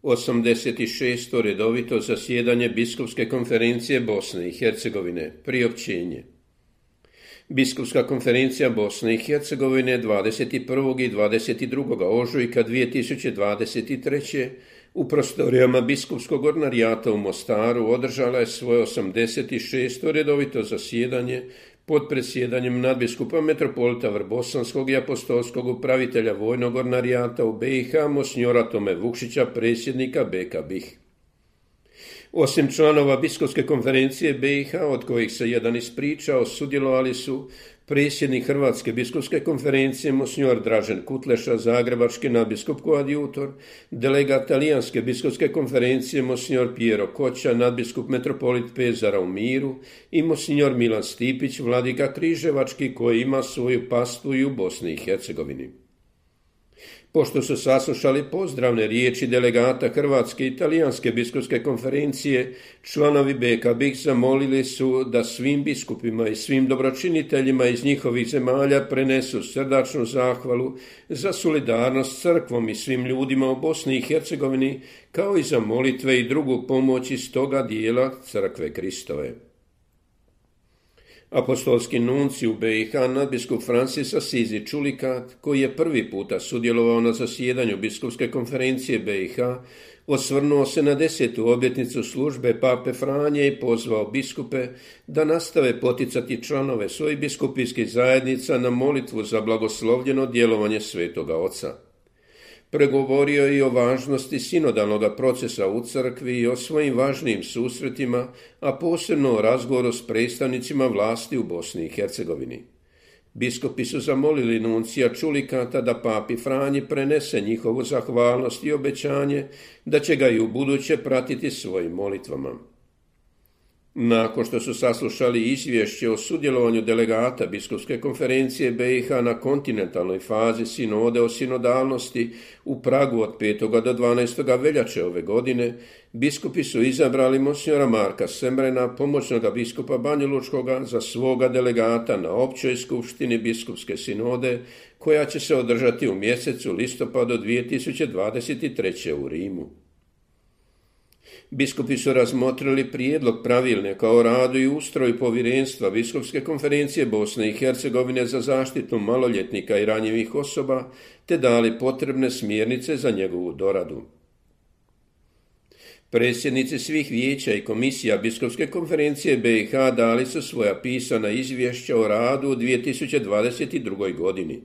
86. redovito zasjedanje Biskupske konferencije Bosne i Hercegovine. Priopćenje. Biskupska konferencija Bosne i Hercegovine 21. i 22. ožujka 2023. u prostorijama Biskupskog ordinarijata u Mostaru održala je svoje 86. redovito zasjedanje pod predsjedanjem nadbiskupa metropolita Vrbosanskog i apostolskog upravitelja vojnog ordinarijata u BiH, monsinjora Tome Vukšića, predsjednika BK BiH. Osim članova Biskupske konferencije BiH, od kojih se jedan ispričao, sudjelovali su predsjednik Hrvatske biskupske konferencije monsinjor Dražen Kutleša, zagrebački nadbiskup koadjutor, delegat Talijanske biskupske konferencije monsinjor Piero Koća, nadbiskup metropolit Pezara u Miru i monsinjor Milan Stipić, vladika križevački, koji ima svoju pastvu i u Bosni i Hercegovini. Pošto su saslušali pozdravne riječi delegata Hrvatske i Talijanske biskupske konferencije, članovi BK BiH zamolili su da svim biskupima i svim dobročiniteljima iz njihovih zemalja prenesu srdačnu zahvalu za solidarnost s crkvom i svim ljudima u Bosni i Hercegovini, kao i za molitve i drugu pomoć iz toga dijela crkve Kristove. Apostolski nunci u BiH, nadbiskup Francis Asizi Čulikat, koji je prvi puta sudjelovao na zasjedanju Biskupske konferencije BiH, osvrnuo se na 10. obljetnicu službe Pape Franje i pozvao biskupe da nastave poticati članove svojih biskupijskih zajednica na molitvu za blagoslovljeno djelovanje Svetoga Oca. Pregovorio je i o važnosti sinodalnog procesa u crkvi i o svojim važnijim susretima, a posebno o razgovoru s predstavnicima vlasti u Bosni i Hercegovini. Biskupi su zamolili nuncija Čulikata da papi Franji prenese njihovu zahvalnost i obećanje da će ga i u buduće pratiti svojim molitvama. Nakon što su saslušali izvješće o sudjelovanju delegata Biskupske konferencije BiH na kontinentalnoj fazi sinode o sinodalnosti u Pragu od 5. do 12. veljače ove godine, biskupi su izabrali monsinjora Marka Semrena, pomoćnog biskupa Banjalučkoga, za svoga delegata na općoj skupštini Biskupske sinode, koja će se održati u mjesecu listopadu 2023. u Rimu. Biskupi su razmotrili prijedlog pravilnika o radu i ustroju povjerenstva Biskupske konferencije Bosne i Hercegovine za zaštitu maloljetnika i ranjivih osoba, te dali potrebne smjernice za njegovu doradu. Predsjednici svih vijeća i komisija Biskupske konferencije BiH dali su svoja pisana izvješća o radu u 2022. godini.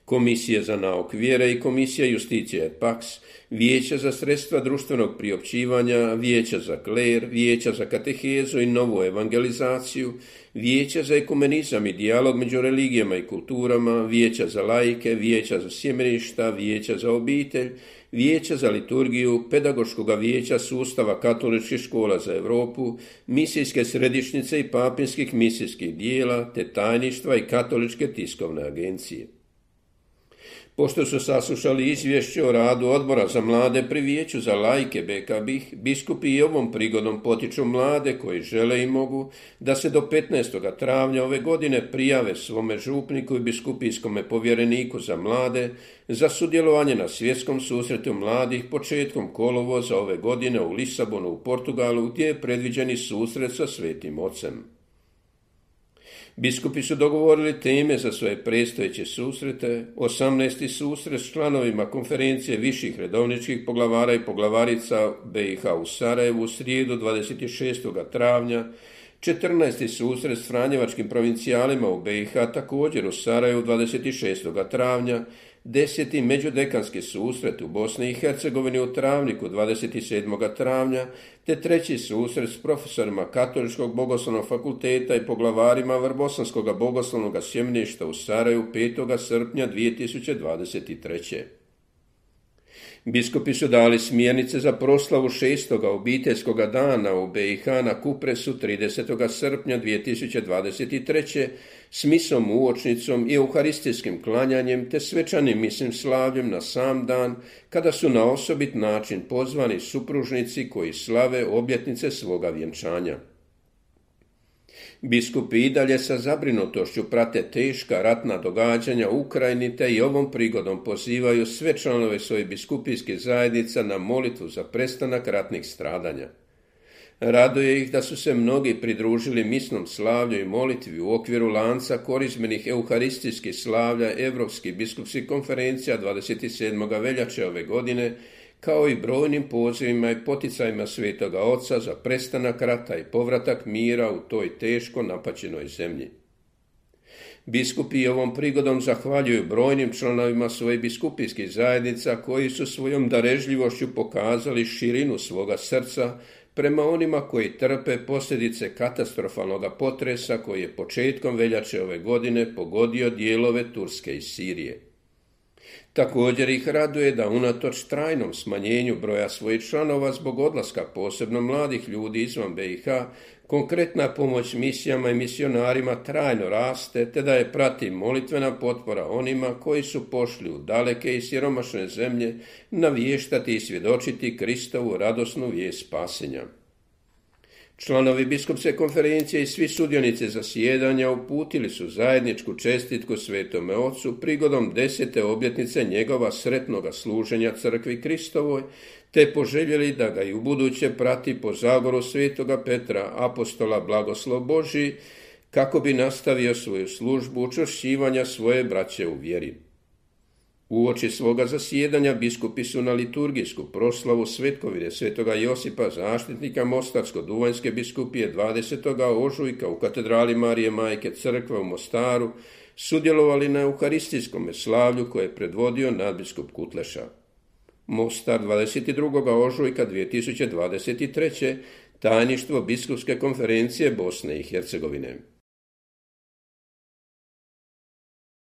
Komisija za nauk vjere i Komisija Justicija et Pax, Vijeća za sredstva društvenog priopćivanja, Vijeća za kler, Vijeća za katehezu i novu evangelizaciju, Vijeća za ekumenizam i dijalog među religijama i kulturama, Vijeća za laike, Vijeća za sjemeništa, Vijeća za obitelj, Vijeća za liturgiju, Pedagoškoga vijeća sustava katoličkih škola za Europu, misijske središnjice i papinskih misijskih dijela, te tajništva i katoličke tiskovne agencije. Pošto su saslušali izvješće o radu odbora za mlade pri Vijeću za laike BK BiH, biskupi i ovom prigodom potiču mlade koji žele i mogu da se do 15. travnja ove godine prijave svome župniku i biskupijskome povjereniku za mlade za sudjelovanje na svjetskom susretu mladih početkom kolovoza ove godine u Lisabonu u Portugalu, gdje je predviđeni susret sa Svetim Ocem. Biskupi su dogovorili teme za svoje predstojeće susrete, 18. susret s članovima konferencije viših redovničkih poglavara i poglavarica BiH u Sarajevu u srijedu 26. travnja, 14. susret s franjevačkim provincijalima u BiH također u Sarajevu 26. travnja, 10. međudekanski susret u Bosni i Hercegovini u Travniku 27. travnja, te 3. susret s profesorima Katoličkog bogoslovnog fakulteta i poglavarima Vrbosanskog bogoslovnog sjemeništa u Sarajevu 5. srpnja 2023. Biskupi su dali smjernice za proslavu 6. obiteljskog dana u BiH na Kupresu 30. srpnja 2023. s misom uočnicom i euharistijskim klanjanjem te svečanim misnim slavljem na sam dan, kada su na osobit način pozvani supružnici koji slave obljetnice svoga vjenčanja. Biskupi i dalje sa zabrinutošću prate teška ratna događanja u Ukrajini te i ovom prigodom pozivaju sve članove svojih biskupijskih zajednica na molitvu za prestanak ratnih stradanja. Raduje ih da su se mnogi pridružili misnom slavlju i molitvi u okviru lanca korizmenih euharistijskih slavlja Europskih biskupskih konferencija 27. veljače ove godine, kao i brojnim pozivima i poticajima Svetoga Oca za prestanak rata i povratak mira u toj teško napaćenoj zemlji. Biskupi ovom prigodom zahvaljuju brojnim članovima svojih biskupijskih zajednica koji su svojom darežljivošću pokazali širinu svoga srca prema onima koji trpe posljedice katastrofalnog potresa koji je početkom veljače ove godine pogodio dijelove Turske i Sirije. Također ih raduje da unatoč trajnom smanjenju broja svojih članova zbog odlaska posebno mladih ljudi izvan BiH, konkretna pomoć misijama i misionarima trajno raste, te da je prati molitvena potpora onima koji su pošli u daleke i siromašne zemlje naviještati i svjedočiti Kristovu radosnu vijest spasenja. Članovi biskupske konferencije i svi sudionici zasjedanja uputili su zajedničku čestitku Svetome Ocu prigodom 10. obljetnice njegova sretnoga služenja crkvi Kristovoj, te poželjeli da ga i ubuduće prati po zagoru Svetoga Petra, apostola blagoslov Božji, kako bi nastavio svoju službu učvršćivanja svoje braće u vjeri. Uoči svoga zasjedanja biskupi su na liturgijsku proslavu svetkovine Svetoga Josipa, zaštitnika Mostarsko-Duvanjske biskupije 20. ožujka u katedrali Marije Majke Crkve u Mostaru sudjelovali na euharistijskom slavlju koje je predvodio nadbiskup Kutleša. Mostar 22. ožujka 2023. tajništvo Biskupske konferencije Bosne i Hercegovine.